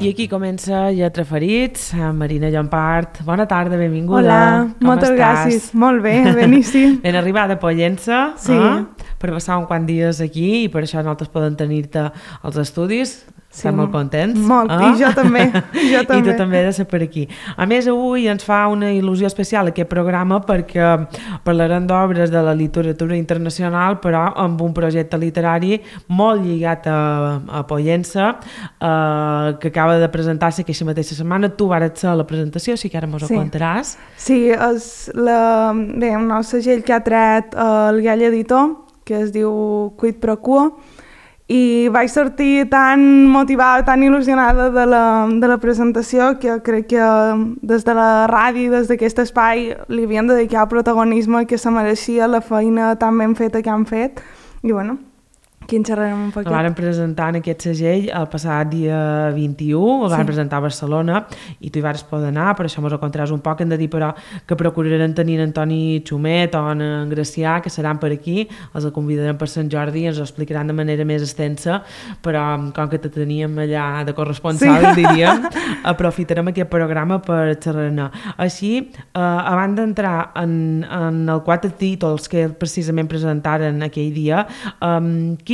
I aquí comença Lletra Ferits, Marina Llompart. Bona tarda, benvinguda. Hola, moltes gràcies. Molt bé, beníssim. Ben arribada a Pollença, sí. Per passar un quant dies aquí i per això nosaltres podem tenir-te als estudis. Sí, estem molt contents. Molt, i jo també. I tu també has de ser per aquí. A més, avui ens fa una il·lusió especial aquest programa perquè parlarem d'obres de la literatura internacional, però amb un projecte literari molt lligat a Pollença, que acaba de presentar-se aquesta mateixa setmana. Tu vares ser a la presentació, sí que ara mos ho contaràs. Sí, és un nou segell que ha tret el Gall Editor, que es diu Quid Pro Quo, i vaig sortir tan motivada, tan il·lusionada de la presentació que crec que des de la ràdio, des d'aquest espai, li havien de dedicar el protagonisme que se mereixia la feina tan ben feta que han fet. I bueno, aquí en xerrarem un poquet. El van presentar en aquest segell el passat dia 21, el van presentar a Barcelona i tu hi vas poder anar, per això mos ho contaràs un poc. Hem de dir però que procurarem tenir en Toni Xumet o en Gracià, que seran per aquí, els convidarem per Sant Jordi i ens ho explicaran de manera més extensa, però com que te teníem allà de corresponsal, diríem, aprofitarem aquest programa per xerrar-ne. Així, abans d'entrar en el 4 títols que precisament presentaren aquell dia,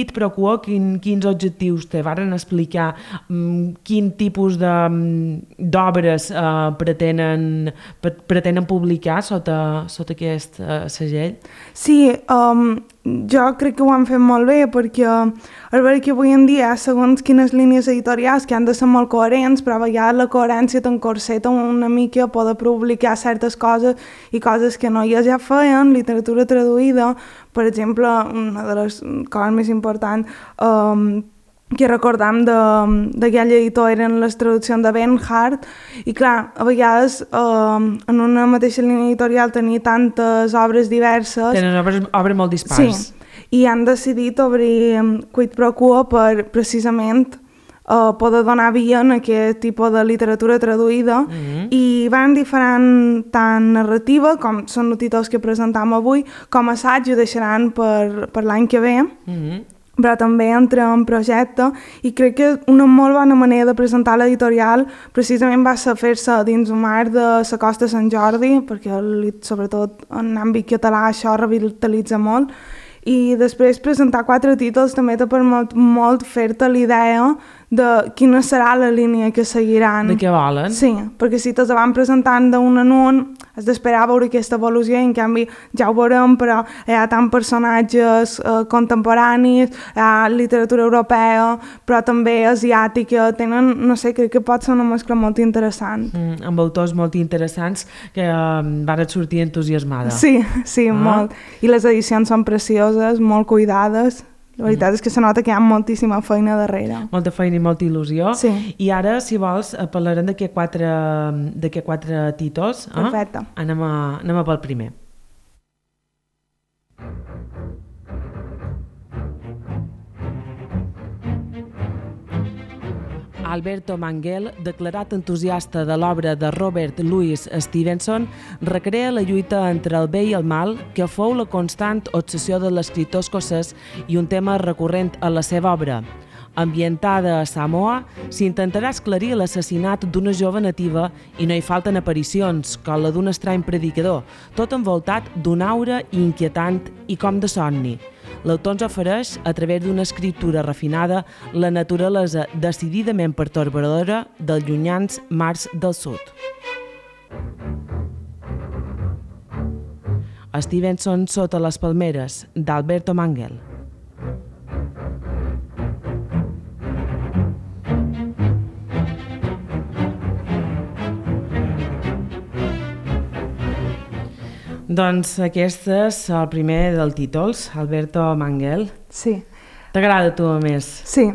Quid Pro Quo, quins objectius te varen explicar, quin tipus d'obres pretenen publicar sota aquest segell? Sí, jo crec que ho han fet molt bé perquè és veritat que avui en dia segons quines línies editorials que han de ser molt coherents, però a vegades la coherència t'encorseta una mica a poder publicar certes coses i coses que no. Ja feien literatura traduïda, per exemple, una de les coses més importants que recordam de Gall Editor eren les traduccions de Bernhardt, i clar, a vegades en una mateixa línia editorial tenir tantes obres diverses... Tenen obres molt dispars. Sí, i han decidit obrir Quid Pro Quo per precisament poder donar via en aquest tipus de literatura traduïda, i van diferent tant narrativa, com són els títols que presentam avui, com assaig ho deixaran per l'any que ve, però també entra en projecte, i crec que una molt bona manera de presentar l'editorial precisament va ser fer-se dins un mar de la Costa de Sant Jordi, perquè sobretot en àmbit català això revitalitza molt, i després presentar 4 títols també te permet molt fer-te l'idea de quina serà la línia que seguiran. De què volen. Sí, perquè si te'ls van presentant d'un en un, has d'esperar a veure aquesta evolució, i en canvi ja ho veurem, però hi ha tant personatges contemporanis, hi ha literatura europea, però també asiàtica, tenen, no sé, crec que pot ser una mescla molt interessant. Amb autors molt interessants que van sortir entusiasmada. Sí, molt. I les edicions són precioses, molt cuidades. La veritat és que se nota que hi ha moltíssima feina darrere. Molta feina i molta il·lusió. Sí. I ara, si vols, parlarem d'aquests 4 títols. Perfecte. Anem pel primer. Alberto Manguel, declarat entusiasta de l'obra de Robert Louis Stevenson, recrea la lluita entre el bé i el mal, que fou la constant obsessió de l'escriptor escocès i un tema recurrent a la seva obra. Ambientada a Samoa, s'intentarà esclarir l'assassinat d'una jove nativa i no hi falten aparicions, com la d'un estrany predicador, tot envoltat d'una aura inquietant i com de somni. L'autor ens ofereix, a través d'una escriptura refinada, la naturalesa decididament pertorbadora dels llunyans mars del sud. Stevenson sota les palmeres, d'Alberto Manguel. Doncs aquest és el primer dels títols, Alberto Manguel. Sí. T'agrada a tu, a més? Sí,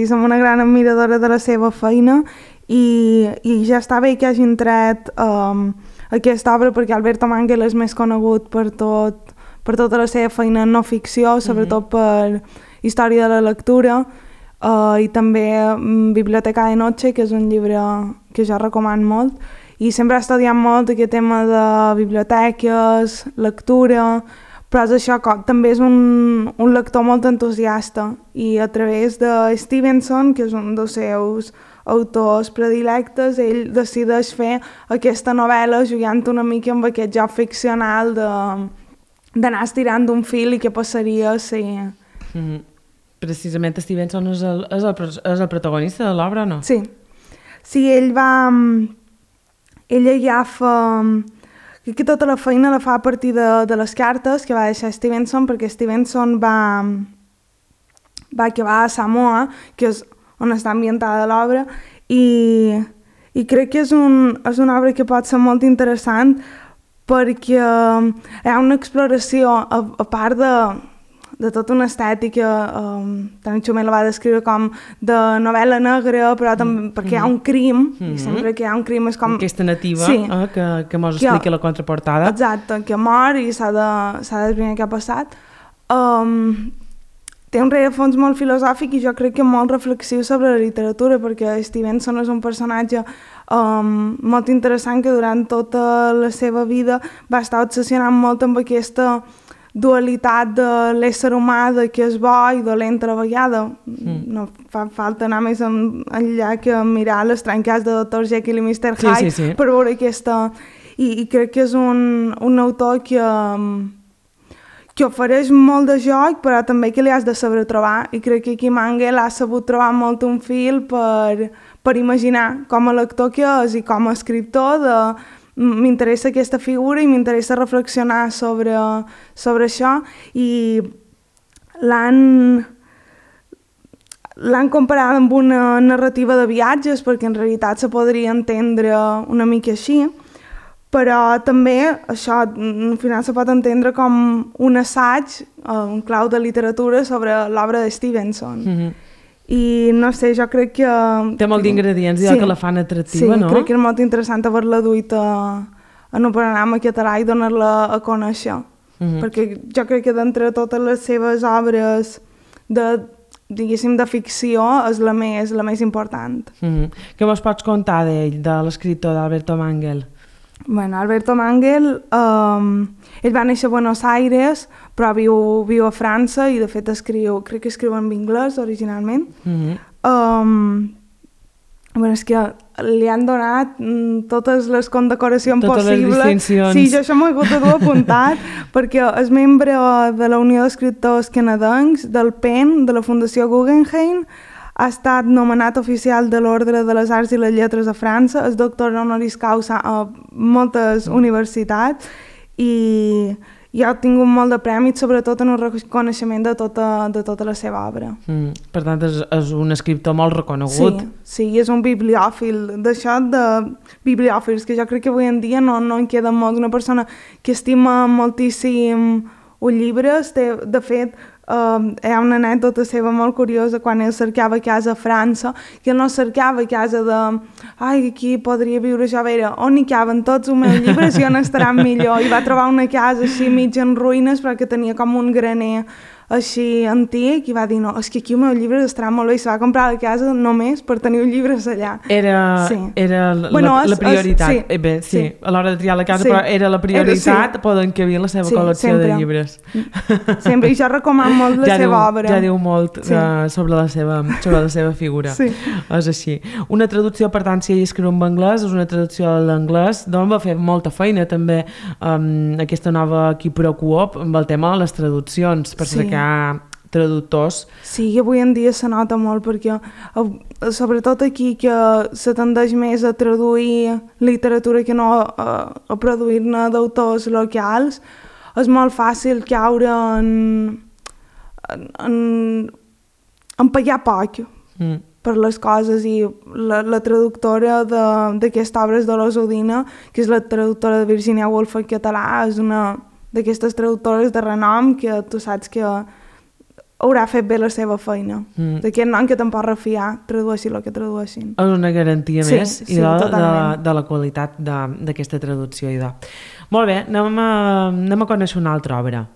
som una gran admiradora de la seva feina i ja està bé que hagin tret aquesta obra, perquè Alberto Manguel és més conegut per tota la seva feina en no ficció, sobretot per Història de la lectura, i també Biblioteca de Noche, que és un llibre que jo recomano molt, i sempre he estudiat molt aquest tema de biblioteques, lectura, però és això, també és un lector molt entusiasta, i a través de Stevenson, que és un dels seus autors predilectes, ell decideix fer aquesta novel·la jugant una mica amb aquest joc ficcional d'anar estirant d'un fil i què passaria si... Precisament Stevenson és el protagonista de l'obra, no? Sí. Sí, ell agafa... que tota la feina la fa a partir de les cartes que va deixar Stevenson, perquè Stevenson va acabar a Samoa, que és on està ambientada l'obra, i crec que és una obra que pot ser molt interessant perquè hi ha una exploració, a part de tota una estètica, tant Xumet la va descriure com de novel·la negra, però també perquè hi ha un crim, i sempre que hi ha un crim és com... Aquesta nativa, sí, que mos explica la contraportada. Exacte, que mor i s'ha d'esbrinar què ha passat. Té un rerefons molt filosòfic i jo crec que molt reflexiu sobre la literatura, perquè Stevenson és un personatge molt interessant que durant tota la seva vida va estar obsessionant molt amb aquesta dualitat de l'ésser humà, de que és bo i dolent a la vegada. No fa falta anar més enllà que mirar les trencades de Dr. Jekyll i Mr. Hyde per veure aquesta... I crec que és un autor que ofereix molt de joc, però també que li has de saber trobar. I crec que aquí Mangel ha sabut trobar molt un fil per imaginar com a lector que és i com a escriptor m'interessa aquesta figura i m'interessa reflexionar sobre això i l'han comparat amb una narrativa de viatges perquè en realitat se podria entendre una mica així, però també això al final se pot entendre com un assaig, un clau de literatura sobre l'obra de Stevenson. I no sé, jo crec que... Té molt d'ingredients i que la fan atractiva, no? Sí, crec que és molt interessant haver-la duit en un programa català i donar-la a conèixer. Perquè jo crec que d'entre totes les seves obres diguéssim, de ficció és la més important. Què mos pots contar d'ell, de l'escriptor d'Alberto Mangel? Bueno, Alberto Mangel, ell va néixer a Buenos Aires, però viu a França i de fet crec que escriu en anglès originalment. És que li han donat totes les condecoracions possibles. Totes les distincions. Sí, jo això m'ho he hagut de dur apuntat, perquè és membre de la Unió d'Escriptors Canadencs, del PEN, de la Fundació Guggenheim, ha estat nomenat oficial de l'Ordre de les Arts i les Lletres a França, és doctor honoris causa a moltes universitats i ha obtingut molt de prèmits, sobretot en un reconeixement de tota la seva obra. Per tant, és un escriptor molt reconegut. Sí, és un bibliòfil. D'això de bibliòfils, que jo crec que avui en dia no en queda molt. Una persona que estima moltíssim els llibres, de fet, hi ha una anècdota seva molt curiosa quan ell cercava casa a França, que ell no cercava casa aquí podria viure jo, a veure, on hi caben tots els meus llibres i on estaran millor, i va trobar una casa així mig en ruïnes però que tenia com un graner així antic i va dir, no, és que aquí els meus llibres estaran molt bé, i se va comprar la casa només per tenir els llibres allà. Era la prioritat. Sí, a l'hora de triar la casa, però era la prioritat poder encabir la seva col·lecció de llibres. Sempre, i jo recomano molt la seva obra. Ja diu molt sobre la seva figura. És així. Una traducció, per tant, si ell escriu en anglès, és una traducció a l'anglès, doncs va fer molta feina també aquesta nova Quipro Coop amb el tema de les traduccions, per cercar traductors. Sí, avui en dia se nota molt perquè sobretot aquí que se tendeix més a traduir literatura que no a produir-ne d'autors locals, és molt fàcil caure en pagar poc per les coses, i la traductora d'aquesta obra és Dolors Udina, que és la traductora de Virginia Woolf en català, és una d'aquestes traductores de renom que tu saps que haurà fet bé la seva feina. D'aquest nom que te'n pots refiar, tradueixi el que tradueixin. És una garantia més de la qualitat d'aquesta traducció. Molt bé, anem a conèixer una altra obra.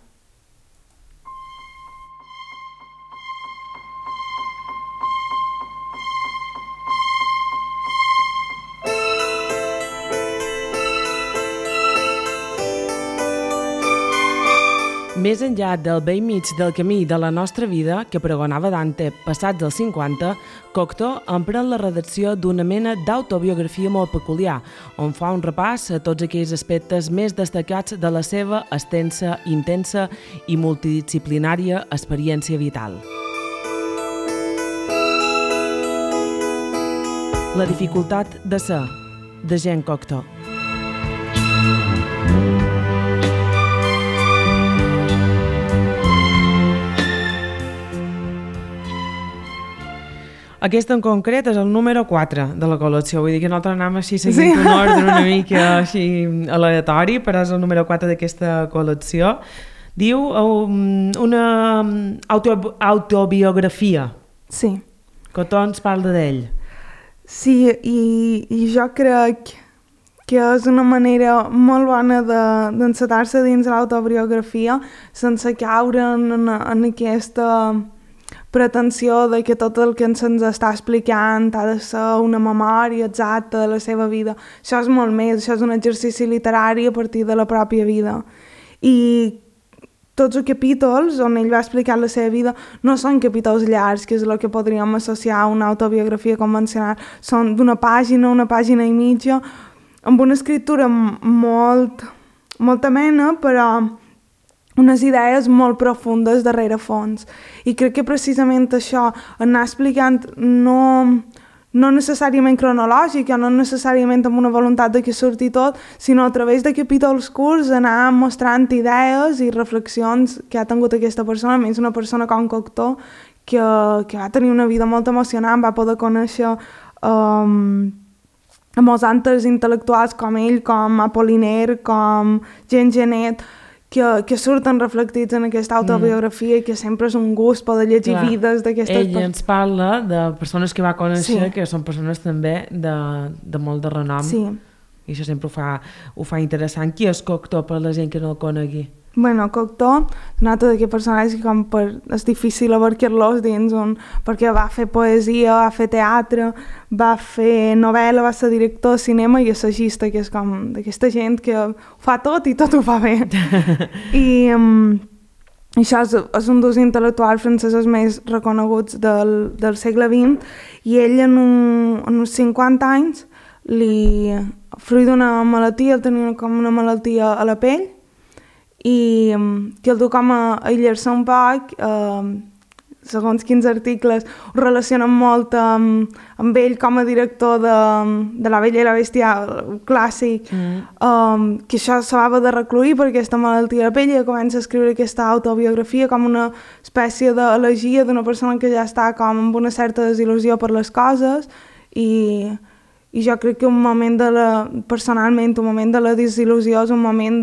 Més enllà del vell mig del camí de la nostra vida, que pregonava Dante passats dels 50, Cocteau emprèn la redacció d'una mena d'autobiografia molt peculiar, on fa un repàs a tots aquells aspectes més destacats de la seva extensa, intensa i multidisciplinària experiència vital. La dificultat de ser, de Jean Cocteau. Aquest en concret és el número 4 de la col·lecció, vull dir que nosaltres anem així seguint un ordre una mica així aleatori, però és el número 4 d'aquesta col·lecció. Diu una autobiografia. Sí. Cocteau ens parla d'ell. Sí, i jo crec que és una manera molt bona d'encetar-se dins l'autobiografia sense caure en aquesta pretensió de que tot el que se'ns està explicant ha de ser una memòria exacta de la seva vida. Això és molt més, això és un exercici literari a partir de la pròpia vida. I tots els capítols on ell va explicar la seva vida no són capítols llargs, que és el que podríem associar a una autobiografia convencional. Són d'una pàgina, una pàgina i mitja, amb una escriptura molt amena, però unes idees molt profundes darrere fons. I crec que precisament això, anar explicant no necessàriament cronològic, no necessàriament amb una voluntat de que surti tot, sinó a través de capítols curts anar mostrant idees i reflexions que ha tingut aquesta persona, més una persona com Cocteau, que va tenir una vida molt emocionant, va poder conèixer a molts altres intel·lectuals com ell, com Apollinaire, com Jean Genet, que surten reflectits en aquesta autobiografia i que sempre és un gust poder llegir vides d'aquestes persones. Ell ens parla de persones que va conèixer, que són persones també de molt de renom. Sí. I això sempre ho fa interessant. Qui és Cocteau per la gent que no el conegui? Bueno, Cocteau, un altre d'aquests personatges que és difícil abarcar-los dins perquè va fer poesia, va fer teatre, va fer novel·la, va ser director de cinema i assagista, que és com d'aquesta gent que ho fa tot i tot ho fa bé. I això és un dels intel·lectuals francesos més reconeguts del segle XX i ell en uns 50 anys, fruit d'una malaltia, tenia com una malaltia a la pell, i que el du com a aïllar-se un poc, segons quins articles ho relacionen molt amb ell com a director de La Bella i la Bèstia clàssic, que això s'havia de recluir per aquesta malaltia de la pell i comença a escriure aquesta autobiografia com una espècie d'elegia d'una persona que ja està com amb una certa desil·lusió per les coses i jo crec que personalment un moment de la desil·lusió és un moment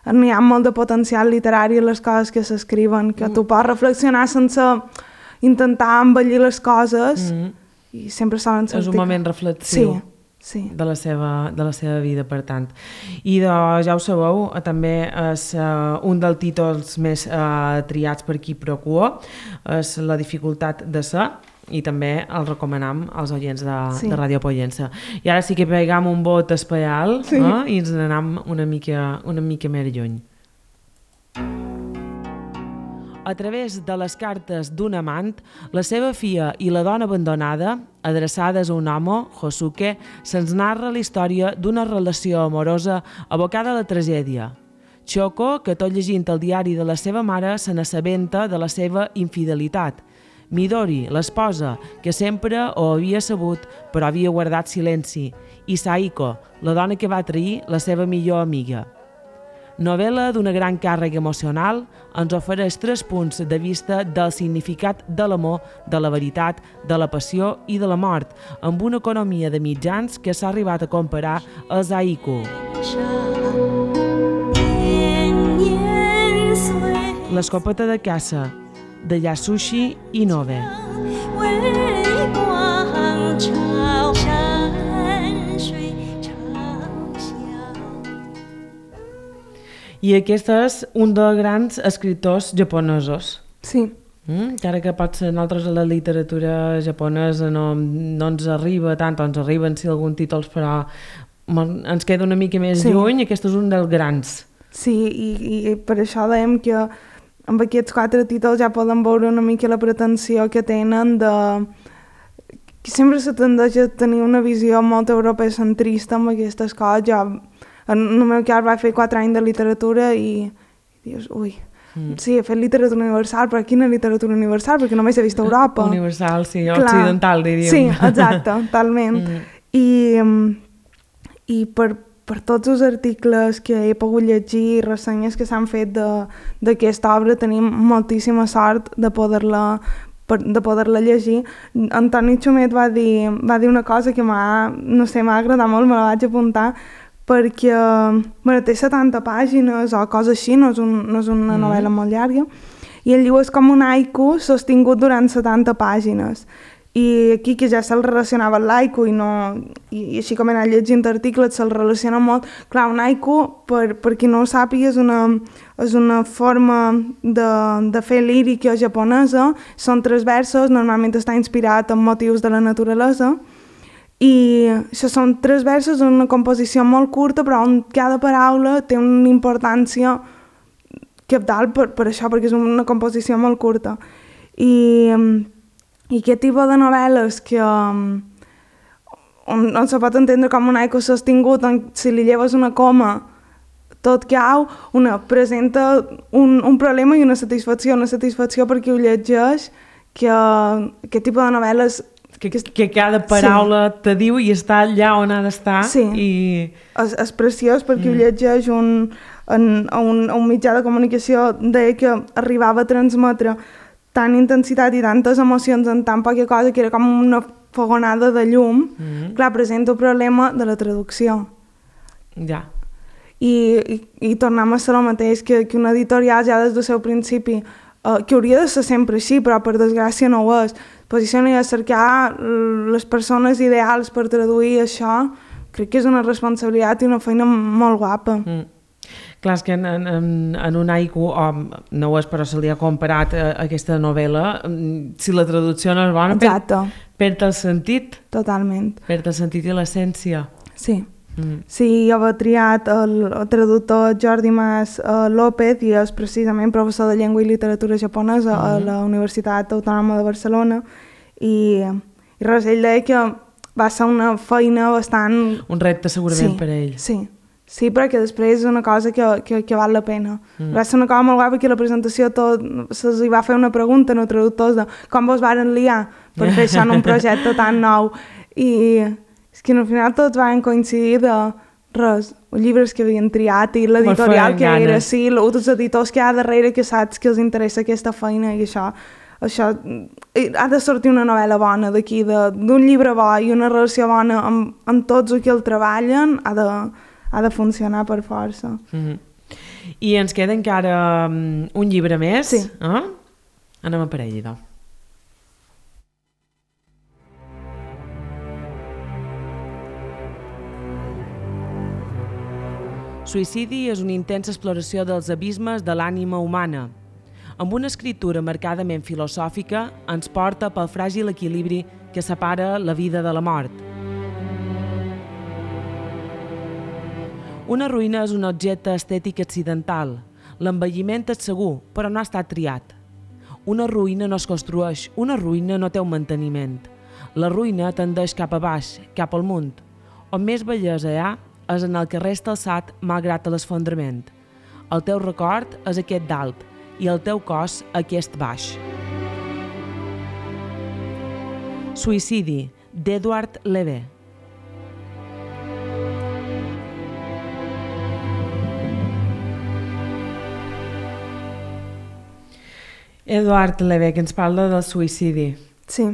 n'hi ha molt de potencial literari en les coses que s'escriuen, que tu pots reflexionar sense intentar embellir les coses i sempre solen sentir... És un moment reflexiu de la seva vida, per tant. I ja ho sabeu, també és un dels títols més triats per qui Procua, és La dificultat de ser, i també el recomanem als oients de Ràdio Pollença. I ara sí que pegam un vot especial i ens n'anem una mica més lluny. A través de les cartes d'un amant, la seva filla i la dona abandonada, adreçades a un home, Josuke, se'ns narra la història d'una relació amorosa abocada a la tragèdia. Choco, que tot llegint el diari de la seva mare, se n'assabenta de la seva infidelitat. Midori, l'esposa, que sempre ho havia sabut però havia guardat silenci, i Saiko, la dona que va trair la seva millor amiga. Novel·la d'una gran càrrega emocional, ens ofereix 3 punts de vista del significat de l'amor, de la veritat, de la passió i de la mort, amb una economia de mitjans que s'ha arribat a comparar als haiku. L'escopeta de caça, de Yasushi Inoue. I aquest és un dels grans escriptors japonesos. Sí. Encara que potser nosaltres a la literatura japonesa no ens arriba tant, o ens arriben sí alguns títols, però ens queda una mica més lluny, aquest és un dels grans Sí, i per això dèiem que amb aquests 4 títols ja podem veure una mica la pretensió que tenen de... que sempre se tendeix a tenir una visió molt europeocentrista amb aquestes coses. Jo, en el meu cas, vaig fer 4 anys de literatura i dius, ui, sí, he fet literatura universal, però quina literatura universal? Perquè només he vist a Europa. Universal, sí, occidental, diríem. Sí, exacte, totalment. I per tots els articles que he pogut llegir, ressenyes que s'han fet d'aquesta obra, tenim moltíssima sort de poder-la llegir. Antoni Xumet va dir una cosa que m'ha agradat molt, me la vaig apuntar, perquè té 70 pàgines o cosa així, no és una novel·la molt llarga, i el llibre és com un haiku sostingut durant 70 pàgines. I aquí, que ja se'l relacionava amb l'haiku i així com he anat llegint articles, se'l relaciona molt. Clar, un haiku, per qui no ho sàpiga, és una forma de fer lírica japonesa. Són 3 versos, normalment està inspirat en motius de la naturalesa. I això són 3 versos, una composició molt curta, però on cada paraula té una importància cabdal per això, perquè és una composició molt curta. I aquest tipus de novel·les que on se pot entendre com un haiku sostingut, on si li lleves una coma tot cau, presenta un problema i una satisfacció perquè ho llegeix, que aquest tipus de novel·les... Que cada paraula te diu i està allà on ha d'estar. Sí, és preciós perquè ho llegeix un mitjà de comunicació que arribava a transmetre tant intensitat i tantes emocions en tan poca cosa que era com una fogonada de llum. Clar, presenta el problema de la traducció. Ja. I tornem a ser el mateix, que un editorial ja des del seu principi, que hauria de ser sempre així, però per desgràcia no ho és, posiciona a cercar les persones ideals per traduir això, crec que és una responsabilitat i una feina molt guapa. Clar, és que en un haiku, no ho és, però se li ha comparat aquesta novel·la, si la traducció no és bona, perd el sentit. Totalment. Perd el sentit i l'essència. Sí. Sí, jo havia triat el traductor Jordi Mas López i és precisament professor de llengua i literatura japonesa a la Universitat Autònoma de Barcelona i res, ell deia que va ser una feina bastant... Un repte segurament per ell. Sí, però que després és una cosa que val la pena. Va ser una cosa molt guapa que la presentació se'ls va fer una pregunta als traductors de com vos varen liar per fer això en un projecte tan nou. I és que al final tots van coincidir de res, els llibres que havien triat i l'editorial que era, sí, els editors que hi ha darrere que saps que els interessa aquesta feina i això ha de sortir una novel·la bona d'aquí, d'un llibre bo i una relació bona amb tots els que el treballen, ha de funcionar per força. I ens queda encara un llibre més. Sí. Anem a per ell, idò. Suïcidi és una intensa exploració dels abismes de l'ànima humana. Amb una escriptura marcadament filosòfica, ens porta pel fràgil equilibri que separa la vida de la mort. Una ruïna és un objecte estètic accidental. L'envelliment és segur, però no ha estat triat. Una ruïna no es construeix, una ruïna no té un manteniment. La ruïna tendeix cap a baix, cap al munt. On més bellesa hi ha és en el que resta alçat malgrat l'esfondrament. El teu record és aquest dalt i el teu cos aquest baix. Suïcidi, d'Edward Levé. Edward Levé, que ens parla del suïcidi. Sí.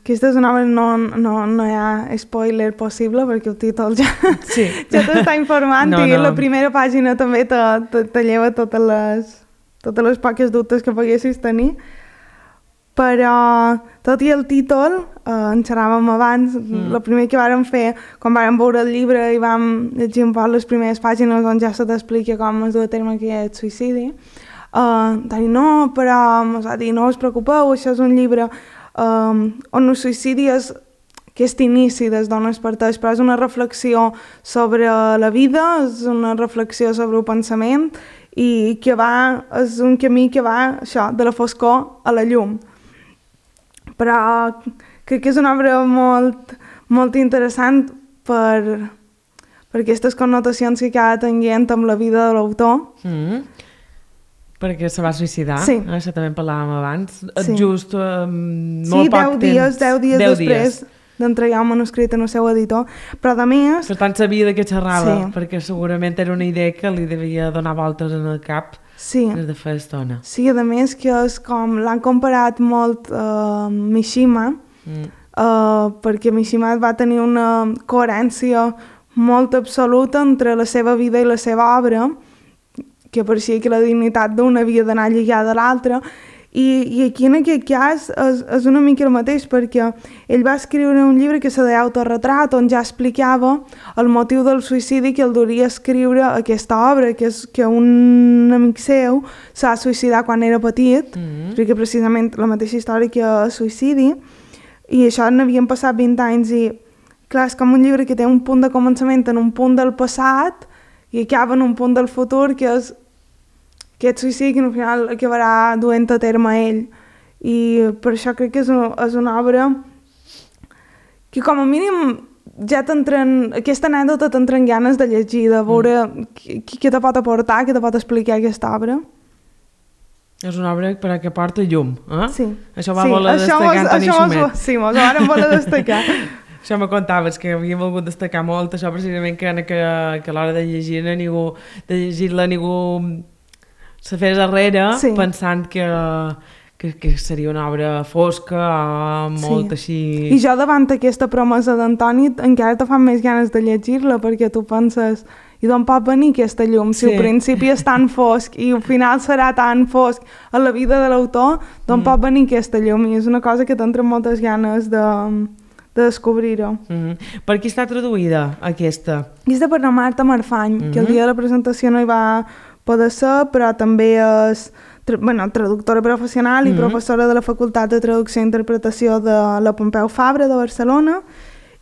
Aquesta és una obra, no hi ha spoiler possible perquè el títol ja t'està informant i la primera pàgina també te lleva totes les poques dubtes que poguessis tenir. Però tot i el títol, en xerràvem abans, el primer que vàrem fer, quan vàrem veure el llibre i vam llegir un poc les primeres pàgines on ja se t'explica com es du a terme aquest suïcidi, de dir, no, però mos va dir, no us preocupeu, això és un llibre on el suïcidi és aquest inici des d'on es parteix, però és una reflexió sobre la vida, és una reflexió sobre el pensament i que és un camí que va això, de la foscor a la llum. Però crec que és una obra molt interessant per aquestes connotacions que acaba tenint amb la vida de l'autor. Perquè se va suïcidar, sí. Això també en parlàvem abans, sí. Just molt poc 10 dies després d'entregar el manuscrit al seu editor, però a més... Per tant sabia de què xerrava, perquè segurament era una idea que li devia donar voltes en el cap des de fa estona. Sí, a més que és com l'han comparat molt Mishima, perquè Mishima va tenir una coherència molt absoluta entre la seva vida i la seva obra, que pareixia que la dignitat d'una havia d'anar lligada a l'altra, i aquí en aquest cas és una mica el mateix, perquè ell va escriure un llibre que se deia Autorretrat, on ja explicava el motiu del suïcidi que el duria a escriure aquesta obra, que és que un amic seu s'ha suïcidat quan era petit, explica precisament la mateixa història que el suïcidi, i això n'havien passat 20 anys, i clar, és com un llibre que té un punt de començament en un punt del passat i acaba en un punt del futur, que és aquest suïcidi que al final acabarà duent a terme ell. I per això crec que és una obra que com a mínim ja aquesta anècdota t'entren ganes de llegir, de veure què te pot aportar, què te pot explicar aquesta obra. És una obra per a que porta llum, eh? Sí. Això va voler destacar Antoni Xumet. Sí, mos ho vàrem voler destacar. Això me contaves, que havia volgut destacar molt, això precisament que a l'hora de llegir-la ningú se fes darrere, pensant que seria una obra fosca, molt així... I jo davant aquesta promesa d'Antoni encara te fan més ganes de llegir-la, perquè tu penses, i d'on pot venir aquesta llum? Si al principi és tan fosc i al final serà tan fosc a la vida de l'autor, d'on pot venir aquesta llum? I és una cosa que t'entren moltes ganes de descobrir-ho. Per qui està traduïda aquesta? Aquesta per la Marta Marfany, que el dia de la presentació no hi va poder ser, però també és traductora professional i professora de la Facultat de Traducció i Interpretació de la Pompeu Fabra de Barcelona,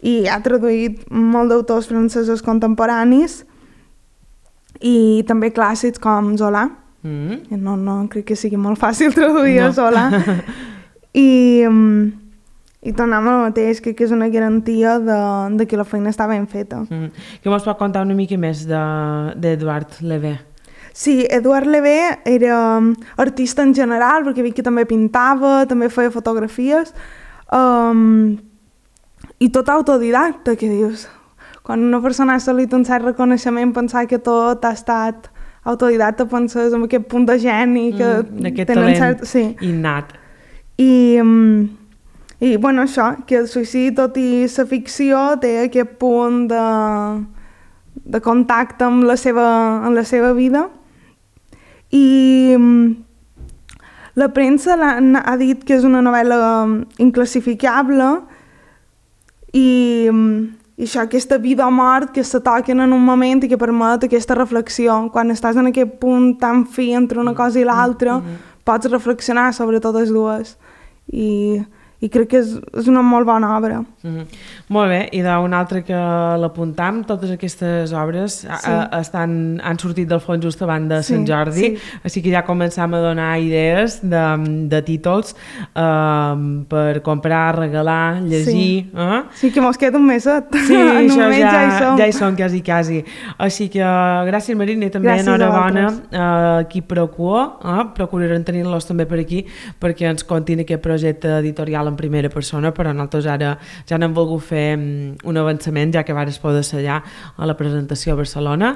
i ha traduït molt d'autors francesos contemporanis i també clàssics com Zola. No crec que sigui molt fàcil traduir a Zola. I tornem al mateix, crec que és una garantia de que la feina està ben feta. Què mos pot contar una mica més d'Eduard Levé? Sí, Eduard Levé era artista en general, perquè veig que també pintava, també feia fotografies, i tot autodidacta, que dius. Quan una persona ha assolit un cert reconeixement, pensar que tot ha estat autodidacta, penses en aquest punt de geni que tenen cert... innat. I bueno, això, que el suïcidi, tot i la ficció, té aquest punt de contacte amb la seva vida. I la premsa ha dit que és una novel·la inclassificable i això, aquesta vida o mort que se toquen en un moment i que permet aquesta reflexió. Quan estàs en aquest punt tan fi entre una cosa i l'altra, pots reflexionar sobre totes dues. I crec que és una molt bona obra. Molt bé, i d'un altre que l'apuntam, totes aquestes obres han sortit del fons just abans de Sant Jordi, així que ja començam a donar idees de títols per comprar, regalar, llegir. Sí, que mos queda un meset. Sí, això ja hi som quasi. Així que gràcies, Marina, i també enhorabona a qui procurarem tenir-los també per aquí, perquè ens contin aquest projecte editorial en primera persona, però nosaltres ara ja n'hem volgut fer un avançament, ja que vares poder ser allà a la presentació a Barcelona,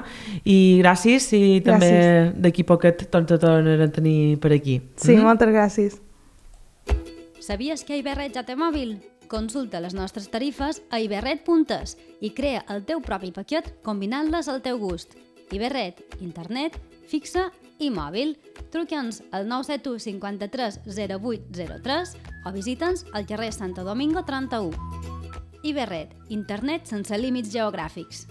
i gràcies, i també d'aquí poquet ens tornarem a tenir per aquí. Sí, moltes gràcies. Sabies que iVerret ja té mòbil? Consulta les nostres tarifes a iverret.es i crea el teu propi paquet combinant-les al teu gust. iVerret, internet, fixa i mòbil. Truca'ns al 971 53 0803 o visita'ns al carrer Santo Domingo 31. iVerret, internet sense límits geogràfics.